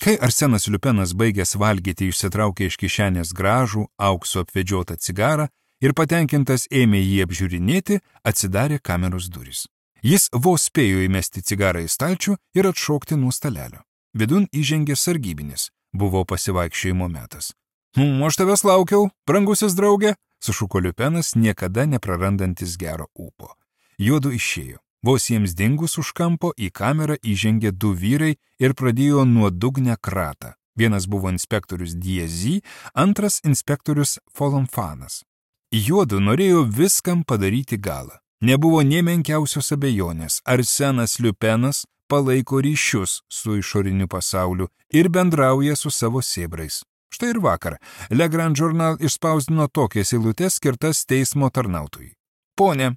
Kai Arsenas Liupenas baigęs valgyti išsitraukė iš kišenės gražų, aukso apvedžiotą cigarą ir patenkintas ėmė jį apžiūrinėti, atsidarė kameros durys. Jis vos spėjo įmesti cigarą į stalčių ir atšokti nuo stalelio. Vidun įžengė sargybinis, buvo pasivaikščiojimo metas. Aš tavęs laukiau, brangusis draugė, sušuko Liupenas, niekada neprarandantis gero ūpo. Juodu išėjo. Vos jiems dingus už kampo į kamerą įžengė du vyrai ir pradėjo nuodugnę kratą. Vienas buvo inspektorius Diezy, antras inspektorius Folamfanas. Juodu norėjo viskam padaryti galą. Nebuvo nė menkiausios abejonės, Arsenas Liupenas palaiko ryšius su išoriniu pasauliu ir bendrauja su savo sėbrais. Štai ir vakar Le Grand Journal išspausdino tokias eilutes skirtas teismo tarnautojui. Pone,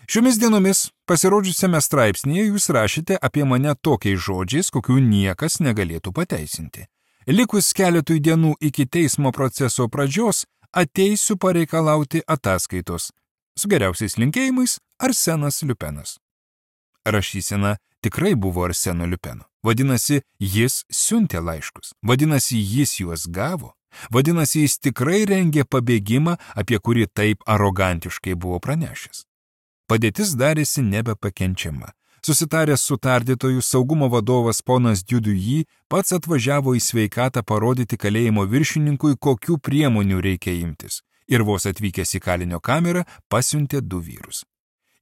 šiomis dienomis pasirodžiusiame straipsnėje jūs rašėte apie mane tokiais žodžiais, kokių niekas negalėtų pateisinti. Likus keletui dienų iki teismo proceso pradžios, ateisiu pareikalauti ataskaitos. Su geriausiais linkėjimais Arsenas Liupenas. Rašysena tikrai buvo Arseno Liupeno. Vadinasi, jis siuntė laiškus. Vadinasi, jis juos gavo. Vadinasi, jis tikrai rengė pabėgimą, apie kurį taip arogantiškai buvo pranešęs. Padėtis darėsi nebepakenčiama. Susitaręs su tardytoju, saugumo vadovas ponas Diuduji pats atvažiavo į sveikatą parodyti kalėjimo viršininkui, kokių priemonių reikia imtis. Ir vos atvykęs į kalinio kamerą, pasiuntė du vyrus.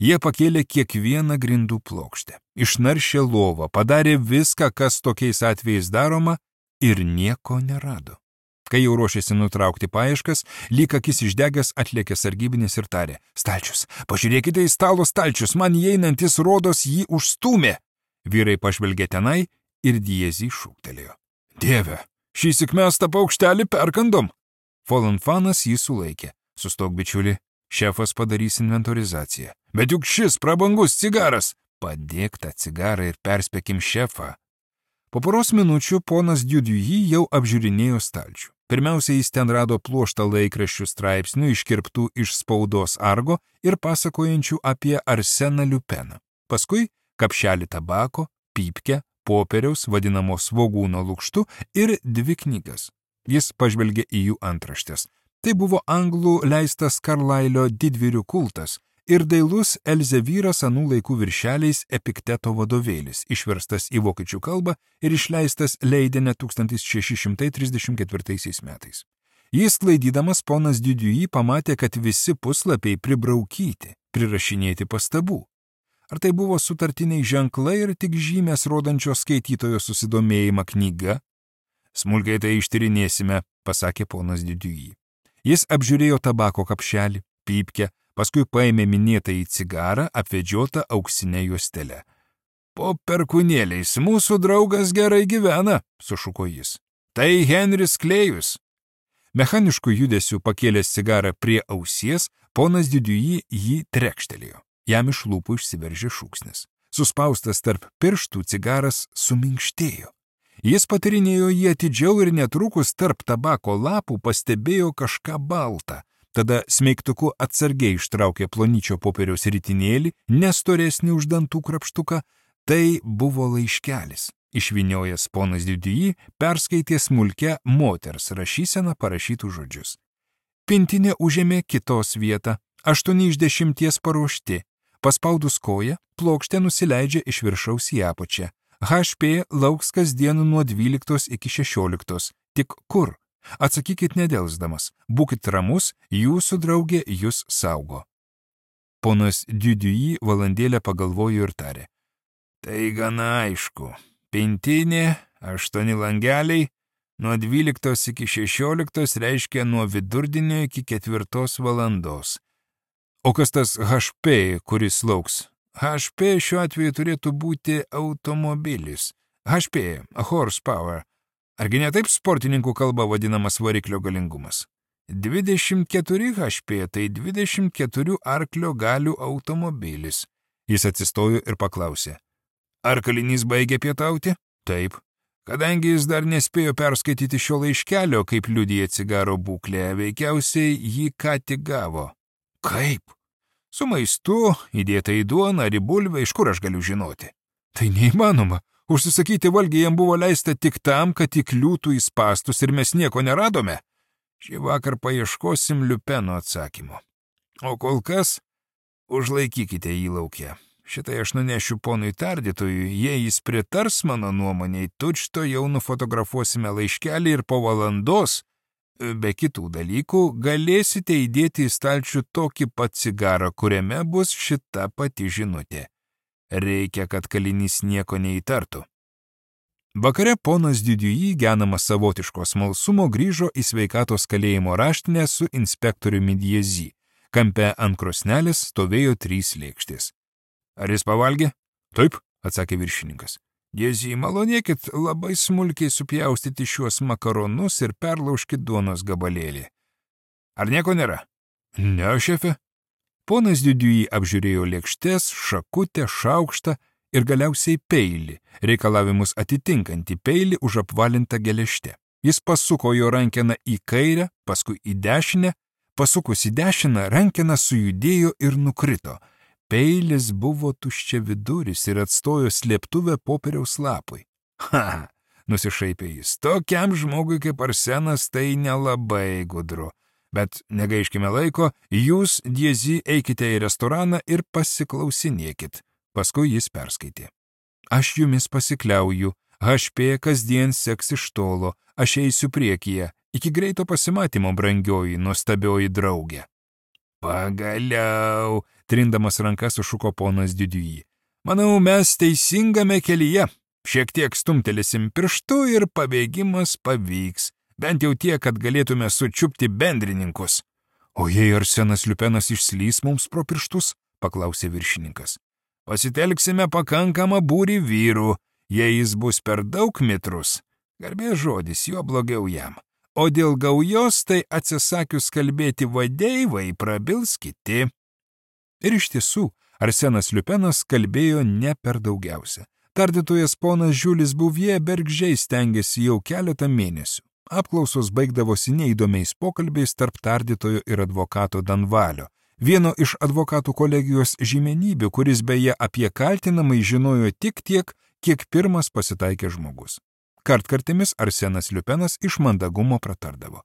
Jie pakėlė kiekvieną grindų plokštę, išnaršė lovą, padarė viską, kas tokiais atvejais daroma, ir nieko nerado. Kai jau ruošėsi nutraukti paieškas, lyg akis išdegęs atlėkė sargybinis ir tarė: Stalčius, pažiūrėkite į stalo stalčius, man įeinantis rodos jį užstūmė. Vyrai pažvelgė tenai ir Diezy šūktelėjo: Dieve, šįsyk mes tą paukštelį perkandom. Folamfanas jį sulaikė. Sustok, bičiuli, šefas padarys inventorizaciją. Bet juk šis prabangus cigaras. Padėk tą cigarą ir perspėkim šefą. Po poros minučių ponas Diuduji jau apžiūrinėjo stalčių. Pirmiausia, jis ten rado pluoštą laikraščių straipsnių iškirptų iš spaudos argo ir pasakojančių apie Arseną Liupeną. Paskui kapšelį tabako, pypkę, popieriaus, vadinamo svogūno lukštu ir dvi knygas. Jis pažvelgė į jų antraštės. Tai buvo anglų leistas Karlailio Didvyrių kultas ir dailus Elzevyras anų laikų viršeliais Epikteto vadovėlis, išverstas į vokiečių kalbą ir išleistas Leidene 1634 metais. Jis klaidydamas ponas Diuduji pamatė, kad visi puslapiai pribraukyti, prirašinėti pastabų. Ar tai buvo sutartiniai ženklai ir tik žymės rodančios skaitytojo susidomėjimą knyga? Smulkiai tai ištyrinėsime, pasakė ponas Diuduji. Jis apžiūrėjo tabako kapšelį, pypkę, paskui paėmė minėtąjį cigarą, apvedžiotą auksinę juostelę. Po perkūnėliais mūsų draugas gerai gyvena, sušuko jis. Tai Henris Klėjus. Mechanišku judesiu pakėlęs cigarą prie ausies, ponas Diuduji jį trekštelėjo. Jam iš lūpų išsiveržė šūksnis. Suspaustas tarp pirštų cigaras suminkštėjo. Jis patirinėjo jį atidžiau ir netrukus tarp tabako lapų pastebėjo kažką baltą. Tada smeigtuku atsargiai ištraukė plonyčio popieriaus ritinėlį, nestoresnį už dantų krapštuką. Tai buvo laiškelis. Išvyniojęs ponas Diuduji perskaitė smulkę moters rašyseną parašytų žodžius. Pintinė užėmė kitos vietą, 8 iš 10 paruošti. Paspaudus koją, plokštė nusileidžia iš viršaus į apačią. HP lauks kasdien nuo 12 iki 16. Tik kur? Atsakykit nedelsdamas. Būkit ramus, jūsų draugė jūs saugo. Ponas Diuduji valandėlę pagalvojo ir tarė. Tai gana aišku. Pintinė, 8 langeliai, nuo 12 iki 16 reiškia nuo vidurdienio iki 4 valandos. O kas tas HP, kuris lauks? HP šiuo atveju turėtų būti automobilis. HP, horsepower. Argi ne taip sportininkų kalba vadinamas variklio galingumas? 24 HP, tai 24 arklio galių automobilis. Jis atsistojo ir paklausė. Ar kalinys baigė pietauti? Taip. Kadangi jis dar nespėjo perskaityti šio laiškelio, kaip liudija cigaro būklė, veikiausiai jį ką tik gavo. Kaip? Su maistu, įdėta į duoną ar į bulvę, iš kur aš galiu žinoti? Tai neįmanoma. Užsisakyti valgį jam buvo leista tik tam, kad įkliūtų į spąstus ir mes nieko neradome. Šį vakar paieškosim Liupeno atsakymo. O kol kas užlaikykite jį lauke. Šitai aš nunešiu ponui tardytojui, jei jis pritars mano nuomoniai, tučto jau nufotografuosime laiškelį ir po valandos, be kitų dalykų, galėsite įdėti į stalčių tokį pat cigarą, kuriame bus šita pati žinutė. Reikia, kad kalinys nieko neįtartų. Vakare ponas Didiuji, genamas savotiško smalsumo, grįžo į sveikatos kalėjimo raštinę su inspektoriumi Diezy. Kampe ant krosnelės stovėjo 3 lėkštės. Ar jis pavalgė? Taip, atsakė viršininkas. Diezy, malonėkit labai smulkiai supjaustyti šiuos makaronus ir perlaužkit duonos gabalėlį. Ar nieko nėra? Ne, šefe. Ponas Didiuji apžiūrėjo lėkštes, šakutę, šaukštą ir galiausiai peilį, reikalavimus atitinkantį peilį už apvalintą geležtę. Jis pasuko jo rankeną į kairę, paskui į dešinę, pasukus į dešiną, rankena sujudėjo ir nukrito. Peilis buvo tuščiaviduris ir atstojo slėptuvę popieriaus lapui. Ha, nusišaipė jis, tokiam žmogui kaip Arsenas tai nelabai gudru. Bet negaiškime laiko, jūs, Diezy, eikite į restoraną ir pasiklausinėkit. Paskui jis perskaitė. Aš jumis pasikliauju, HP kasdien seks iš tolo, aš eisiu priekyje, iki greito pasimatymo, brangioji, nuostabioji draugė. Pagaliau, trindamas rankas sušuko ponas Didiuji. Manau, mes teisingame kelyje. Šiek tiek stumtelėsim pirštu ir pabėgimas pavyks. Bent jau tiek, kad galėtume sučiupti bendrininkus. O jei Arsenas Liupenas išslys mums pro pirštus, paklausė viršininkas. Pasitelksime pakankamą būrį vyrų, jei jis bus per daug mitrus. Garbės žodis, jo blogiau jam. O dėl gaujos, tai atsisakius kalbėti vadeivai, prabils kiti. Ir iš tiesų, Arsenas Liupenas kalbėjo ne per daugiausia. Tardytojas ponas Žiulis Buvie bergždžiai stengėsi jau keletą mėnesių. Apklausos baigdavosi neįdomiais pokalbiais tarp tardytojo ir advokato Danvalio, vieno iš advokatų kolegijos žymenybių, kuris beje apie kaltinamai žinojo tik tiek, kiek pirmas pasitaikė žmogus. Kartkartimis Arsenas Liupenas iš mandagumo pratardavo.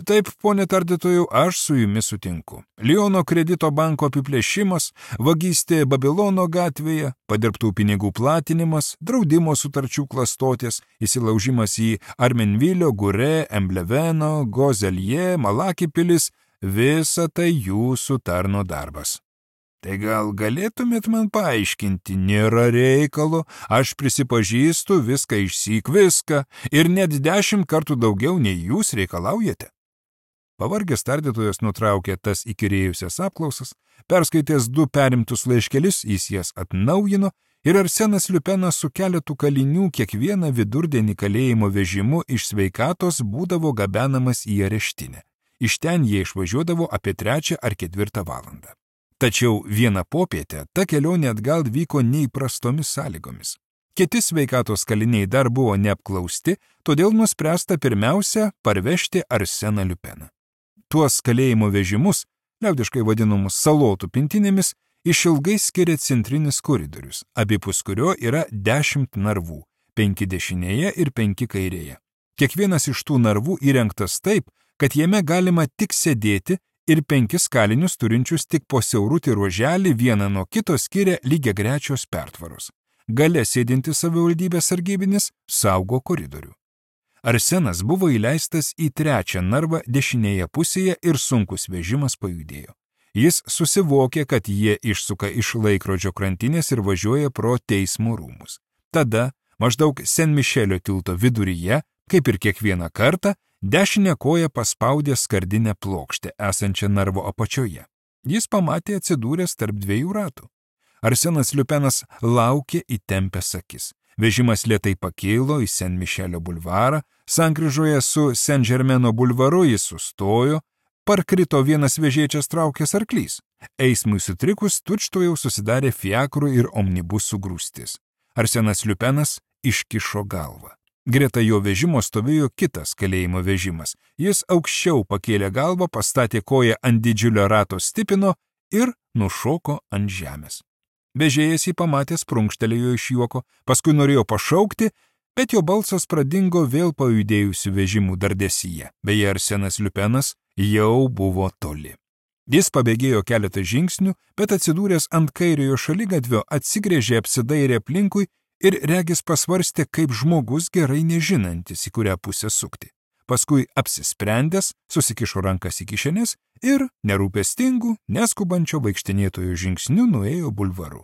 Taip, ponė tardytojau, aš su jumis sutinku. Liono kredito banko apiplėšimas, vagystė Babilono gatvėje, padirbtų pinigų platinimas, draudimo sutarčių klastotės, įsilaužimas į Armenvilio, Gure, Embleveno, Gozelje, Malaki pilis, visa tai jūsų tarno darbas. Tai gal galėtumėt man paaiškinti, nėra reikalo, aš prisipažįstu viską išsyk viską ir net 10 kartų daugiau nei jūs reikalaujate. Pavargęs tardytojas nutraukė tas įkyrėjusias apklausas, perskaitęs 2 perimtus laiškelis, jis jas atnaujino ir Arsenas Liupenas su keletu kalinių kiekvieną vidurdienį kalėjimo vežimu iš sveikatos būdavo gabenamas į areštinę. Iš ten jie išvažiuodavo apie 3 ar 4 valandą. Tačiau vieną popietę ta kelionė atgal vyko neįprastomis sąlygomis. Kiti sveikatos kaliniai dar buvo neapklausti, todėl nuspręsta pirmiausia parvežti Arseną Liupeną. Tuos kalėjimo vežimus, liaudiškai vadinamus salotų pintinėmis, išilgai skiria centrinis koridorius, abipus kurio yra 10 narvų, 5 dešinėje ir 5 kairėje. Kiekvienas iš tų narvų įrengtas taip, kad jame galima tik sėdėti ir 5 kalinius turinčius tik po siaurutį ruoželį vieną nuo kito skiria lygiagrečios pertvaros. Gale sėdinti savivaldybės sargybinis saugo koridorių. Arsenas buvo įleistas į 3 narvą dešinėje pusėje ir sunkus vežimas pajudėjo. Jis susivokė, kad jie išsuka iš laikrodžio krantinės ir važiuoja pro teismo rūmus. Tada, maždaug Sen Mišelio tilto viduryje, kaip ir kiekvieną kartą, dešinę koją paspaudė skardinę plokštę, esančią narvo apačioje. Jis pamatė atsidūręs tarp 2 ratų. Arsenas Liupenas laukė įtempęs akis. Vežimas lėtai pakilo į Sen Mišelio bulvarą, sankryžoje su Sen Žermeno bulvaru jis sustojo, parkrito vienas vežėčias traukęs arklys. Eismui sutrikus tučtuojau susidarė fiakrų ir omnibusų grūstis. Arsenas Liupenas iškišo galvą. Greta jo vežimo stovėjo kitas kalėjimo vežimas. Jis aukščiau pakėlė galvą, pastatė koją ant didžiulio rato stipino ir nušoko ant žemės. Vežėjas jį pamatęs prunkštelėjo iš juoko, paskui norėjo pašaukti, bet jo balsas pradingo vėl pajudėjusių vežimų dardesyje. Beje, Arsenas Liupenas jau buvo toli. Jis pabėgėjo keletą žingsnių, bet atsidūręs ant kairiojo šaligatvio atsigręžė, apsidairė aplinkui ir regis pasvarstė kaip žmogus gerai nežinantis, į kurią pusę sukti. Paskui apsisprendęs, susikišo rankas į kišenes ir nerūpestingų, neskubančio vaikštinėtojo žingsniu nuėjo bulvaru.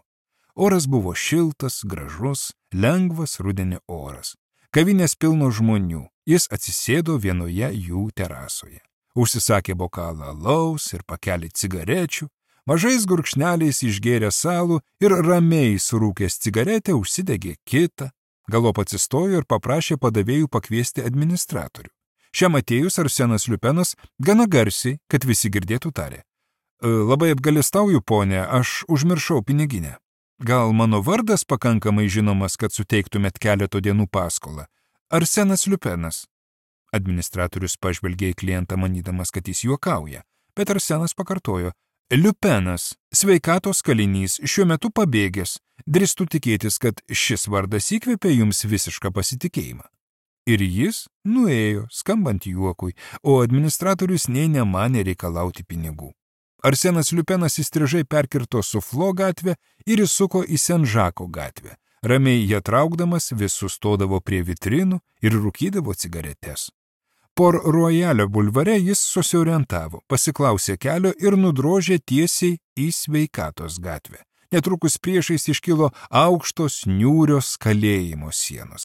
Oras buvo šiltas, gražus, lengvas rudenio oras. Kavinės pilno žmonių, jis atsisėdo vienoje jų terasoje. Užsisakė bokalą alaus ir pakelį cigarečių, mažais gurkšneliais išgėrė salų ir ramiai surūkęs cigaretę užsidegė kitą. Galop atsistojo ir paprašė padavėjų pakviesti administratorių. Šiam atėjus Arsenas Liupenas gana garsiai, kad visi girdėtų tarė. Labai apgalestauju, ponė, aš užmiršau piniginę. Gal mano vardas pakankamai žinomas, kad suteiktumėt keleto dienų paskolą? Arsenas Liupenas. Administratorius pažvelgė į klientą manydamas, kad jis juokauja, bet Arsenas pakartojo. Liupenas, sveikatos kalinys, šiuo metu pabėgęs. Drįstu tikėtis, kad šis vardas įkvėpė jums visišką pasitikėjimą. Ir jis nuėjo, skambant juokui, o administratorius nė nemanė reikalauti pinigų. Arsenas Liupenas įstrižai perkirto Suflo gatvę ir įsuko į Senžako gatvę. Ramiai ją traukdamas vis sustodavo prie vitrinų ir rūkydavo cigaretes. Por Royalio bulvare jis susiorientavo, pasiklausė kelio ir nudrožė tiesiai į Sveikatos gatvę. Netrukus priešais iškilo aukštos niūrios kalėjimo sienos.